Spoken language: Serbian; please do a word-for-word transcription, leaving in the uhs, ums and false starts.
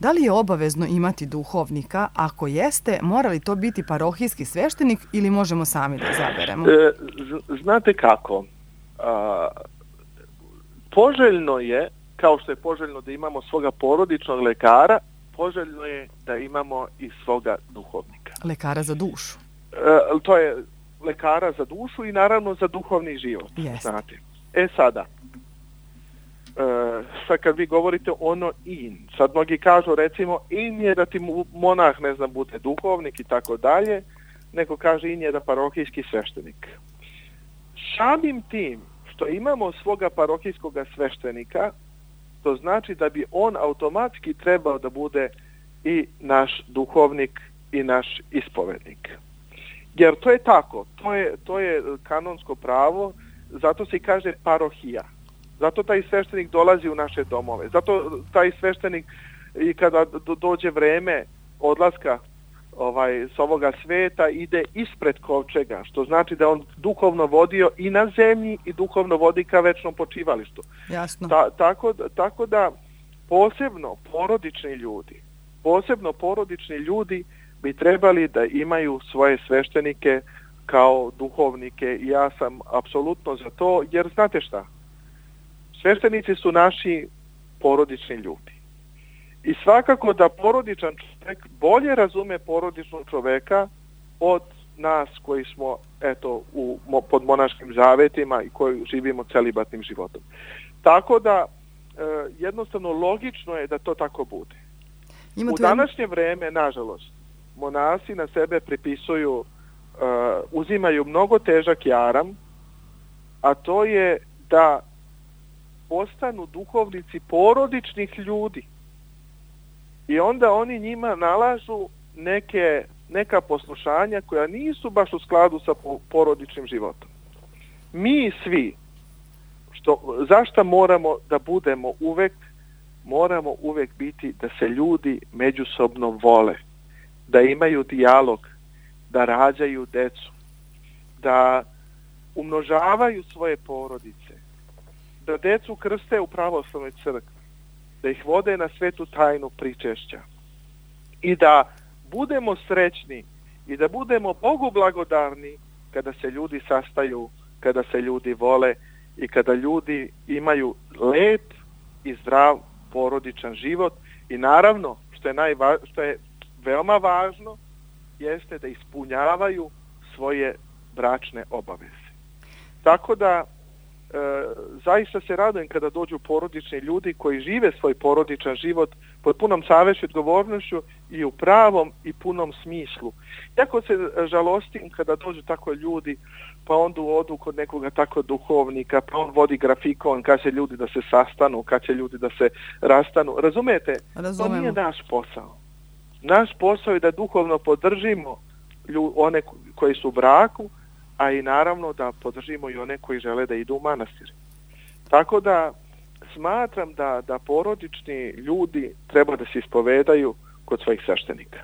Da li je obavezno imati duhovnika? Ako jeste, mora li to biti parohijski sveštenik ili možemo sami da izaberemo? E, znate kako? A, poželjno je, kao što je poželjno da imamo svoga porodičnog lekara, poželjno je da imamo i svoga duhovnika. Lekara za dušu. E, to je lekara za dušu i naravno za duhovni život. Jeste. Znate. E sada, e, sad kad vi govorite ono in, sad mnogi kažu recimo in je da ti monah, ne znam, bude duhovnik i tako dalje, neko kaže in je da parohijski sveštenik. Samim tim što imamo svoga parohijskog sveštenika, to znači da bi on automatski trebao da bude i naš duhovnik i naš ispovednik. Jer to je tako, to je, to je kanonsko pravo, zato se i kaže parohija. Zato taj sveštenik dolazi u naše domove. Zato taj sveštenik i kada dođe vreme odlaska ovaj, s ovoga sveta ide ispred kovčega, što znači da on duhovno vodio i na zemlji i duhovno vodi ka večnom počivalištu. Jasno. Ta, tako, tako da posebno porodični ljudi, posebno porodični ljudi bi trebali da imaju svoje sveštenike kao duhovnike i ja sam apsolutno za to, jer znate šta? Sveštenici su naši porodični ljudi. I svakako da porodičan čovjek bolje razume porodičnog čovjeka od nas koji smo eto u, pod monaškim zavetima i koji živimo celibatnim životom. Tako da e, jednostavno logično je da to tako bude. Ima u današnje jedan... vreme, nažalost, monasi na sebe pripisuju, uh, uzimaju mnogo težak jaram, a to je da postanu duhovnici porodičnih ljudi. I onda oni njima nalažu neke, neka poslušanja koja nisu baš u skladu sa porodičnim životom. Mi svi, što, zašto moramo da budemo uvek, moramo uvek biti da se ljudi međusobno vole, da imaju dijalog, da rađaju decu, da umnožavaju svoje porodice, da decu krste u pravoslavnoj crkvi, da ih vode na svetu tajnu pričešća i da budemo srećni i da budemo Bogu blagodarni kada se ljudi sastaju, kada se ljudi vole i kada ljudi imaju lep i zdrav porodičan život i naravno, što je, najva, što je veoma važno, jeste da ispunjavaju svoje bračne obaveze. Tako da, e, zaista se radujem kada dođu porodični ljudi koji žive svoj porodičan život pod punom savešću i odgovornošću i u pravom i punom smislu. Jako se žalostim kada dođu tako ljudi, pa onda odu kod nekoga tako duhovnika, pa on vodi grafikon, kad će ljudi da se sastanu, kad će ljudi da se rastanu. Razumete? Razumemo. To nije naš posao. Naš posao je da duhovno podržimo lju, one koji su u braku, a i naravno da podržimo i one koji žele da idu u manastir. Tako da smatram da, da porodični ljudi treba da se ispovedaju kod svojih sveštenika.